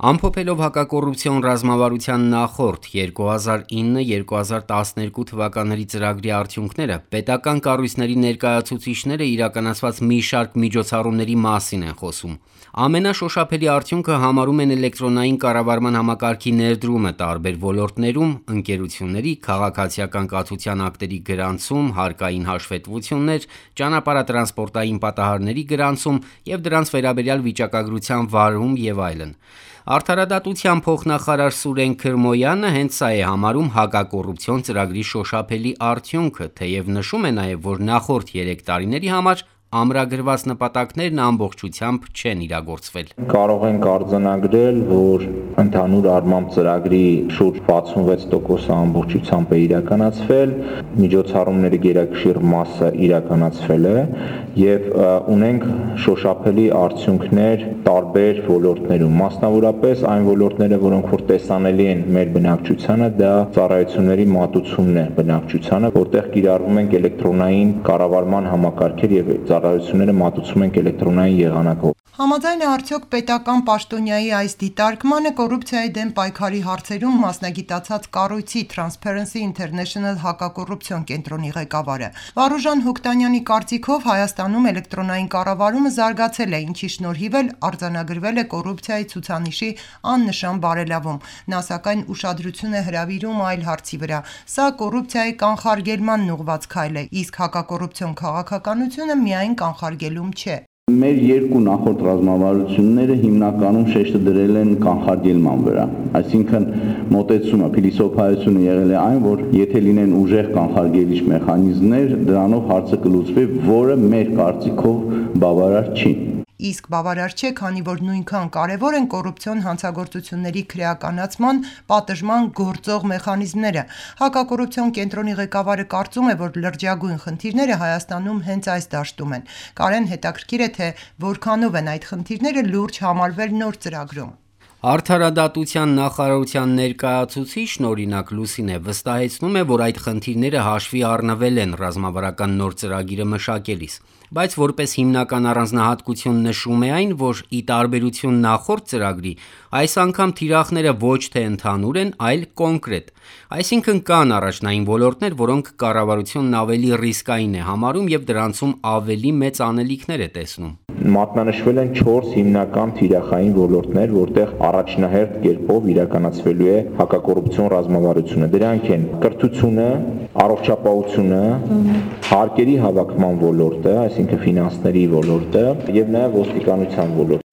Ամփոփելով հակակոռուպցիոն ռազմավարության նախորդ 2009-2012 թվականների ծրագրի արդյունքները, պետական կառույցների ներկայացուցիչները իրականացված մի շարք միջոցառումների մասին են խոսում։ Ամենաշոշափելի արդյունքը համարում են էլեկտրոնային կառավարման համակարգի ներդրումը տարբեր ոլորտներում, ընկերությունների, քաղաքացիական կացության ակտերի գրանցում, հարկային հաշվետվություններ, ճանապարհատրանսպորտային պատահարների գրանցում և դրանց վերաբերյալ վիճակագրության վարում և այլն։ Արդարադատության փոխնախարար Սուրեն Քրմոյանը հենց սա է համարում հակակոռուպցիոն ծրագրի շոշափելի արդյունքը, թեև նշում է նաև, որ նախորդ 3 տարիների համար ամրագրված նպատակներն ամբողջությամբ չեն իրագործվել։ Կարող ենք արձանագրել, որ ընդհանուր առմամբ ծրագրի շուրջ 66% ամբողջությամբ է իրականացվել, միջոցառումների գերակշիռ մասը իրականացվել է և ունենք շոշափելի արդյունքներ տարբեր ոլորտներում, մասնավորապես այն ոլորտները, որոնք որ տեսանելի են մեր բնակչությանը, դա ծառայությունների մատուցումն է բնակչությանը, որտեղ կիրառվում են էլեկտրոնային կառավարման համակարգեր և ծառայությունները մատուցում ենք էլեկտրոնային եղանակով։ Համաձայն է արդյոք պետական պաշտոնյայի այս դիտարկմանը կոռուպցիայի դեմ պայքարի հարցերում մասնագիտացած կառույցի Transparency International հակակոռուպցիոն կենտրոնի ղեկավարը։ Վարուժան Հոկտանյանի կարծիքով Հայաստանում էլեկտրոնային կառավարումը զարգացել է, ինչի շնորհիվ էլ արձանագրվել է կոռուպցիայի ցուցանիշի աննշան բարելավում։ Նա սակայն ուշադրություն է հրավիրում այլ հարցի վրա։ Սա կոռուպցիայի կանխարգելմանն ուղղված քայլ է, իսկ հակակոռուպցիոն քաղաքականությունը միայն կանխարգելում չէ։ Մեր երկու նախորդ ռազմավարությունները հիմնականում շեշտը դրել են կանխարգելման վրա, այսինքն մոտեցումը, փիլիսոփայությունը եղել է այն, որ եթե լինեն ուժեղ կանխարգելիչ մեխանիզմներ, դրանով հարցը կլուծվի, որը մեր կարծիքով բավարար չի։ Իսկ բավարար չէ, քանի որ նույնքան կարևոր են կոռուպցիոն հանցագործությունների քրեականացման, պատժման գործող մեխանիզմները։ Հակակոռուպցիոն կենտրոնի ղեկավարը կարծում է, որ լրջագույն խնդիրները Հայաստանում հենց այս դաշտում են։ Կարեն հետաքրքիր է, թե որքանով են այդ խնդիրները լուրջ համարվել նոր ծրագրում։ Արդարադատության նախարարության ներկայացուցիչն օրինակ Լուսինե վստահեցնում է, որ այդ խնդիրները հաշվի առնվել են ռազմավարական նոր ծրագիրը մշակելիս, բայց որպես հիմնական առանձնահատկություն նշում է այն, որ ի տարբերություն նախորդ ծրագրի, այս անգամ թիրախները ոչ թե ընդհանուր են, այլ կոնկրետ, այսինքն կան առաջնային ոլորտներ, որոնք կառավարությունն ավելի ռիսկային է համարում և դրանցում ավելի մեծ անելիքներ է տեսնում։ Մատնանշվել են 4 հիմնական թիրախային ոլորտներ, որտեղ առաջնահերթ կերպով իրականացվելու է հակակոռուպցիոն ռազմավարությունը։ Դրանք են կրթությունը, առողջապահությունը, հարկերի հավաքման ոլորտը, այսինքն ֆինանսների ոլորտը և նաև ոստիկանության ոլորտը։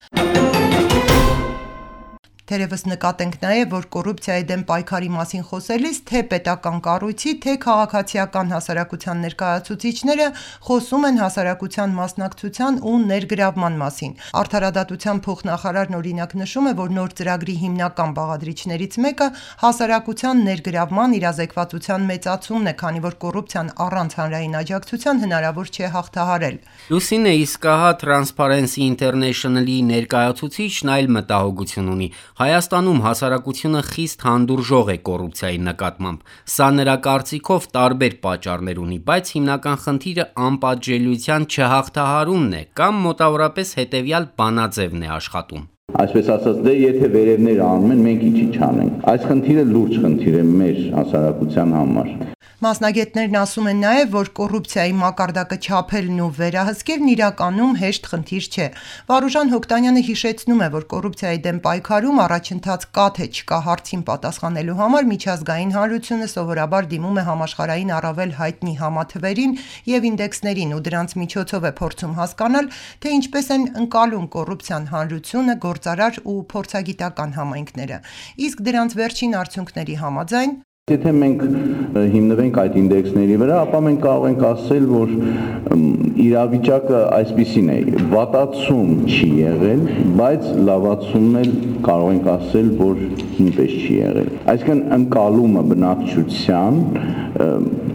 Թերևս նկատենք նաև, որ կոռուպցիայի դեմ պայքարի մասին խոսելիս թե պետական կառույցի, թե քաղաքացիական հասարակության ներկայացուցիչները խոսում են հասարակության մասնակցության ու ներգրավման մասին։ Արդարադատության փոխնախարարն օրինակ նշում է, որ նոր ծրագրի հիմնական բաղադրիչներից մեկը հասարակության ներգրավման իրազեկվածության մեծացումն է, քանի որ կոռուպցիան առանց հանրային աջակցության հնարավոր չէ հաղթահարել։ Լուսինե, իսկ ահա Transparency International-ի ներկայացուցիչն այլ մտահոգություն ունի։ Հայաստանում հասարակությունը խիստ հանդուրժող է կոռուպցիայի նկատմամբ։ Սա նրա կարծիքով տարբեր պատճառներ ունի, բայց հիմնական խնդիրը անպատժելիության չհաղթահարումն է կամ մոտավորապես հետևյալ բանաձևն է աշխատում։ Այսպես ասած, դե եթե վերևները անում են, մենք ինչի չանենք։ Այս խնդիրը լուրջ խնդիր է մեր հասարակության համար։ Մասնագետներն ասում են նաև, որ կոռուպցիայի մակարդակը չափելն ու վերահսկելն իրականում հեշտ խնդիր չէ։ Վարուժան Հոկտանյանը հիշեցնում է, որ կոռուպցիայի դեմ պայքարում առաջընթաց կա թե չկա հարցին պատասխանելու համար միջազգային հանրությունը սովորաբար դիմում է համաշխարհային առավել հայտնի համաթվերին և ինդեքսներին ու դրանց միջոցով է փորձում հասկանալ, թե ինչպես են ընկալում կոռուպցիան հանրությունը, գործարար ու փորձագիտական համայնքները։ Իսկ դրանց վերջին արդյունքների համաձայն Եթե մենք հիմնվենք այդ ինդեքսների վրա, ապա մենք կարող ենք ասել, որ իրավիճակը այսպիսին է, վատացում չի եղել, բայց լավացումն էլ կարող ենք ասել, որ նույնպես չի եղել։ Այսինքն ընկալումը բնակչության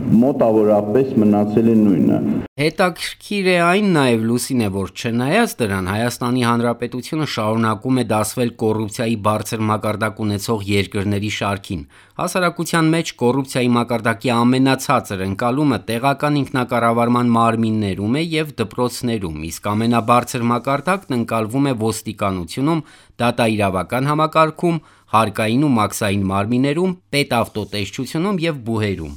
մոտավորապես մնացել է նույնը։ Հետաքրքիր է այն նաև Լուսինե, որ չնայած դրան Հայաստանի Հանրապետությունը շարունակում է դասվել կոռուպցիայի բարձր մակարդակ ունեցող երկրների շարքին։ Հասարակության մեջ կոռուպցիայի մակարդակի ամենացածր ընկալումը տեղական ինքնակառավարման մարմիններում է եւ դպրոցներում, իսկ ամենաբարձր մակարդակն ընկալվում է ոստիկանությունում, դատաիրավական համակարգում, հարկային ու մաքսային մարմիններում, պետավտոտեսչությունում եւ բուհերում։